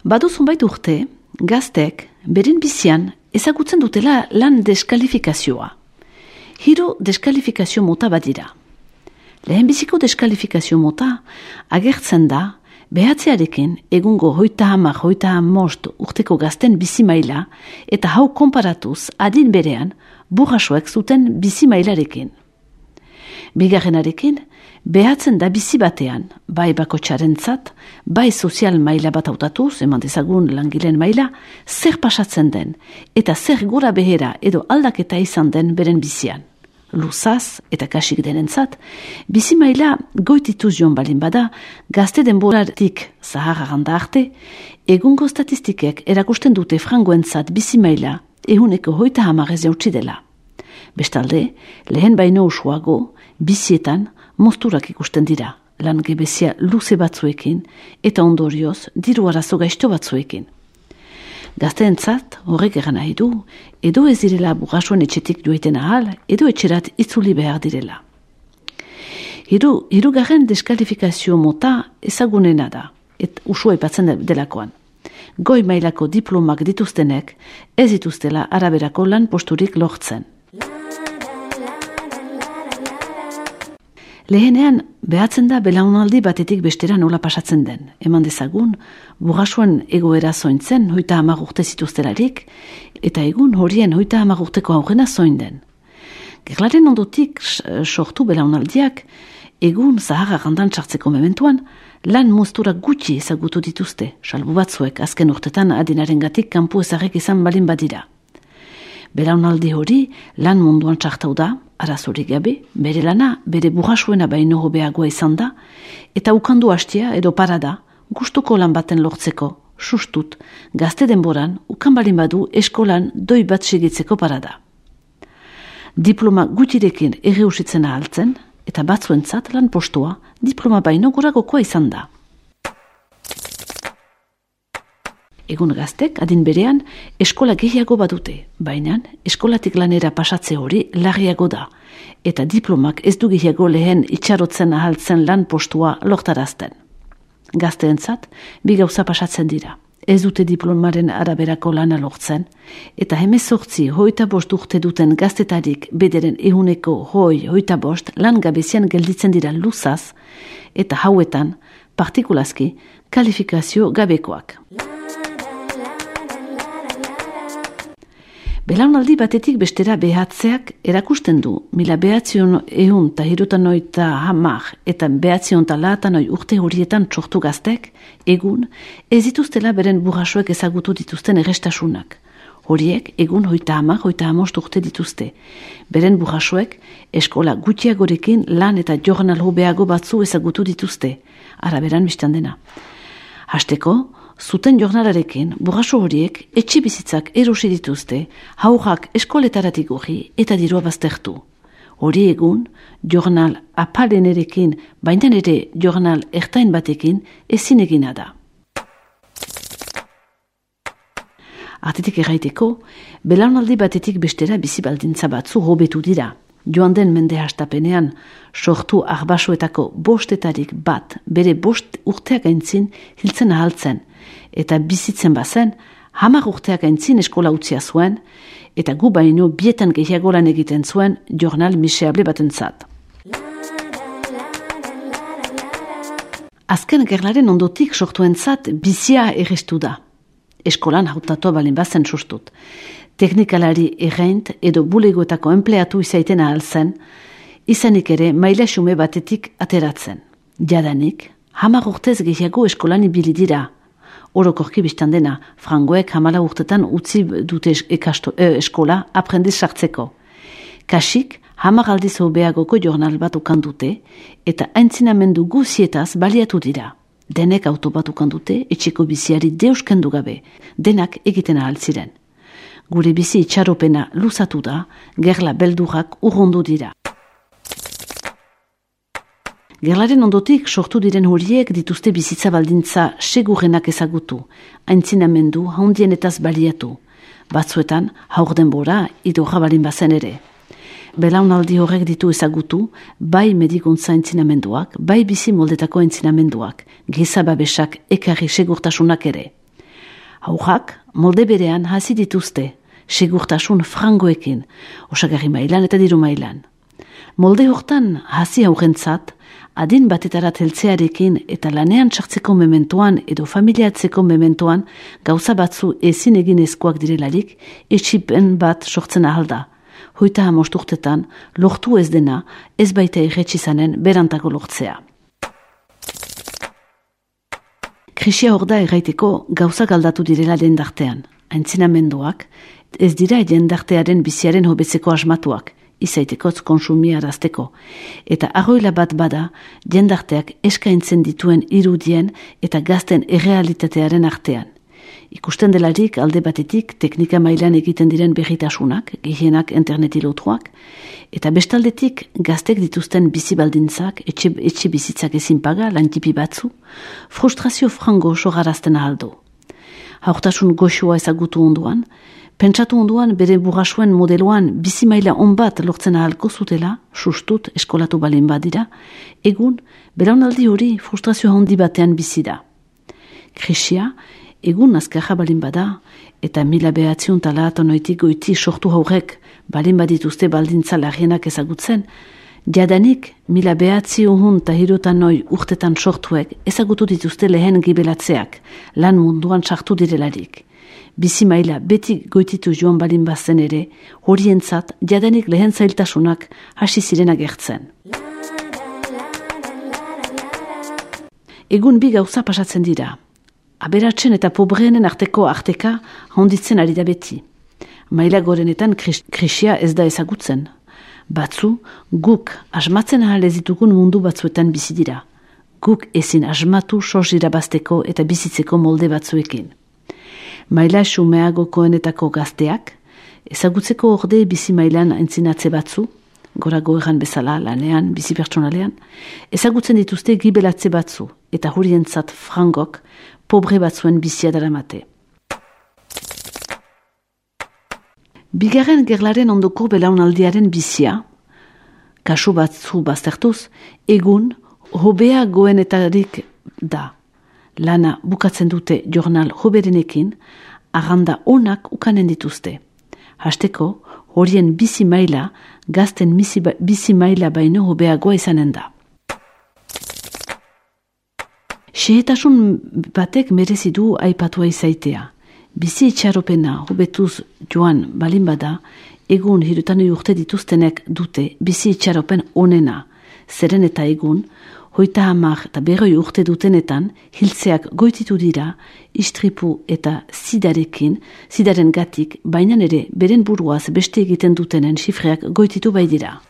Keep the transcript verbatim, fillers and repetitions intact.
Badu zunbait urte, gaztek, beren bizian, ezagutzen dutela lan deskalifikazioa. Hiru deskalifikazio mota badira. Lehen biziko deskalifikazio mota agertzen da behatzearekin egungo hoita hamar, hoita hamost urteko gazten bizi maila eta hau konparatuz adin berean burrasoek zuten bizi mailarekin. Bigarrenarekin, behatzen da bizi batean, bai bakotxarentzat, bai sozial maila bat hautatuz, eman dezagun langileen maila, zer pasatzen den, eta zer gora behera edo aldaketa izan den beren bizian. Luzaz eta kasik denentzat, bizi maila goitituz joan balin bada, gazte denboratik zaharraganda arte, egungo statistikek erakusten dute frangoentzat bizi maila ehuneko hoita hamarez jautsi dela. Bestalde, lehen baino usuago, bizietan mozturak ikusten dira, lan gebezia luze batzuekin eta ondorioz diru arazo gaizto batzuekin. Gazteentzat horrek eran nahi du, edo ez direla burrasoen etxetik joiten ahal, edo etxerat itzuli behar direla. Hiru, hirugarren deskalifikazio mota ezagunena da, et usua ipatzen delakoan. Goi mailako diplomak dituztenek ez dituztela araberako lan posturik lortzen. Lehenean, behatzen da belaunaldi batetik bestera nola pasatzen den. Eman dezagun, burrasoen egoera zointzen hoita hamar urte zituztelarik, eta egun horien hoita hamar urteko aurrena zoin den. Gerlaren ondotik sortu belaunaldiak, egun zaharra gandan txartzeko mementuan, lan moztura gutxi ezagutu dituzte, salbu batzuek azken urtetan adinarengatik kanpo ezarrek izan balin badira. Belaunaldi hori lan munduan txartau da, arazorik gabe, bere lana, bere burrasuena baino hobeagoa izan da, eta ukandu hastia edo parada, gustuko lan baten lortzeko, sustut, gazte denboran, ukan balin badu eskolan doi bat segitzeko parada. Diploma gutirekin erreusitzen ahaltzen, eta batzuentzat lan postua, diploma baino goragokoa izan da. Egun gaztek, adin berean, eskola gehiago badute, baina eskolatik lanera pasatze hori larriago da, eta diplomak ez du gehiago lehen itxarotzen ahaltzen lan postua lortarazten. Gazteentzat, bi gauza pasatzen dira. Ez dute diplomaren araberako lana lortzen, eta hemezortzi hoita bost urte duten gaztetarik bederen ehuneko hoi hoita bost lan gabezian gelditzen dira luzaz, eta hauetan, partikulazki, kalifikazio gabekoak. Belaunaldi batetik bestera behatzeak erakusten du, mila behatzion ehun eta hirutan oita hamar eta behatzion eta lahatan oi urte horietan txortu gaztek, egun ez dituztela beren burrasoek ezagutu dituzten errestasunak. Horiek egun hoita hamar, hoita hamost urte dituzte. Beren burrasoek eskola gutxiagorekin lan eta jornal hobeago batzu ezagutu dituzte, araberan biztan dena. Hasteko, zuten jornalarekin, burraso horiek etxe bizitzak erosi dituzte, haurrak eskoletaratik hori eta dirua baztertu. Hori egun, jornal apalenerekin, baina ere jornal ertain batekin ezin egina da. Artetik erraiteko, belaunaldi batetik bestera bizi baldintza batzu hobetu dira. Joan den mende hastapenean, sortu arbasoetako bostetarik bat, bere bost urteak aintzin hiltzen ahaltzen, eta bizitzen bazen, hamar urteak aintzin eskola utzia zuen, eta gu baino bietan gehiago lan egiten zuen jornal miserable batentzat. Azken gerlaren ondotik sortuentzat bizia errestu da. Eskolan hautatua balin bazen sustut. Teknikalari erreint edo bulegoetako empleatu izaiten ahal zen, izanik ere maila xume batetik ateratzen. Jadanik, hamar urtez gehiago eskolan ibili dira. Orokorki biztan dena, frangoek hamala urtetan utzi dute ekasto, eh, eskola aprendiz sartzeko. Kasik, hamar aldiz hobeagoko jornal bat ukan dute, eta aintzinamendu guzietaz baliatu dira. Denek auto bat ukan dute, etxeko biziari deuskendu gabe, denak egiten ahal ziren. Gure bizi itxaropena luzatu da, gerla beldurrak urrundu dira. Gerlaren ondotik sortu diren horiek dituzte bizitza baldintza segurrenak ezagutu, aintzinamendu handienetaz baliatu. Batzuetan, haur denbora, idorra balin bazen ere. Belaunaldi horrek ditu ezagutu, bai medikuntza aintzinamenduak, bai bizi moldetako aintzinamenduak, giza babesak ekarri segurtasunak ere. Haujak molde berean hasi dituzte, segurtasun frangoekin, osagarri mailan eta diru mailan. Molde hortan hasi haurentzat, adin batetarat heltzearekin eta lanean sartzeko mementoan edo familiatzeko mementoan gauza batzu ezin eginezkoak direlarik etxipen bat sortzen ahalda. Hoita hamosturtetan lortu ez dena ez baita irretxizanen berantako lortzea. Krisia hor da erraiteko gauzak aldatu direla jendartean. Aintzinamenduak ez dira jendartearen biziaren hobetzeko asmatuak, izaitekotz konsumia arazteko. Eta arroila bat bada, jendarteak eskaintzen dituen irudien eta gazten errealitatearen artean. Ikusten delarik alde batetik teknika mailan egiten diren berritasunak, gehienak interneti lotuak, eta bestaldetik gaztek dituzten bizibaldintzak, etxe, etxe bizitzak ezin paga, lantipi batzu, frustrazio frango sogarazten ahaldo. Haurtasun goxua ezagutu onduan, pentsatu onduan bere burrasuen modeloan bizi maila onbat lortzen ahalko zutela, sustut eskolatu balin badira, egun belaunaldi hori frustrazio handi batean bizi da. Krisia, egun azkarra balin bada, eta mila behatzion talat onoitik goiti sortu haurek balin badituzte baldintza larrienak ezagutzen, jadanik mila behatzi uhun eta hirutan noi urtetan sortuek ezagutu dituzte lehen gibelatzeak, lan munduan sartu direlarik. Bizi maila beti goititu joan balin bazen ere, horientzat jadanik lehen zailtasunak hasi ziren agertzen. Egun bi gauza pasatzen dira. Aberatzen eta pobreenen arteko arteka handitzen ari da beti. Maila gorenetan krisia ez da ezagutzen. Batzu, guk asmatzen ahal ez ditugun mundu batzuetan bizi dira. Guk ezin asmatu sos irabazteko eta bizitzeko molde batzuekin. Maila xumeagokoenetako gazteak, ezagutzeko orde bizi mailan entzinatze batzu, gorago egan bezala lanean, bizi pertsonalean, ezagutzen dituzte gibelatze batzu, eta hurientzat frangok, pobre batzuen bizia daramate. Bigarren gerlaren ondoko belaunaldiaren bizia, kasu batzu baztertuz, egun hobea goenetarik da. Lana bukatzen dute jornal hoberenekin, arranda onak ukanen dituzte. Hasteko, horien bizi maila, gazten bizi maila baino hobeagoa izanen da. Xehetasun batek merezi du aipatua izaitea. Bizi itxaropena hobetuz joan balin bada, egun hirutanoi urte dituztenek dute bizi itxaropen onena. Zeren eta egun, hoita hamar eta berroi urte dutenetan, hiltzeak goititu dira, istripu eta zidarekin, zidaren gatik, bainan ere beren buruaz beste egiten dutenen xifreak goititu bai dira.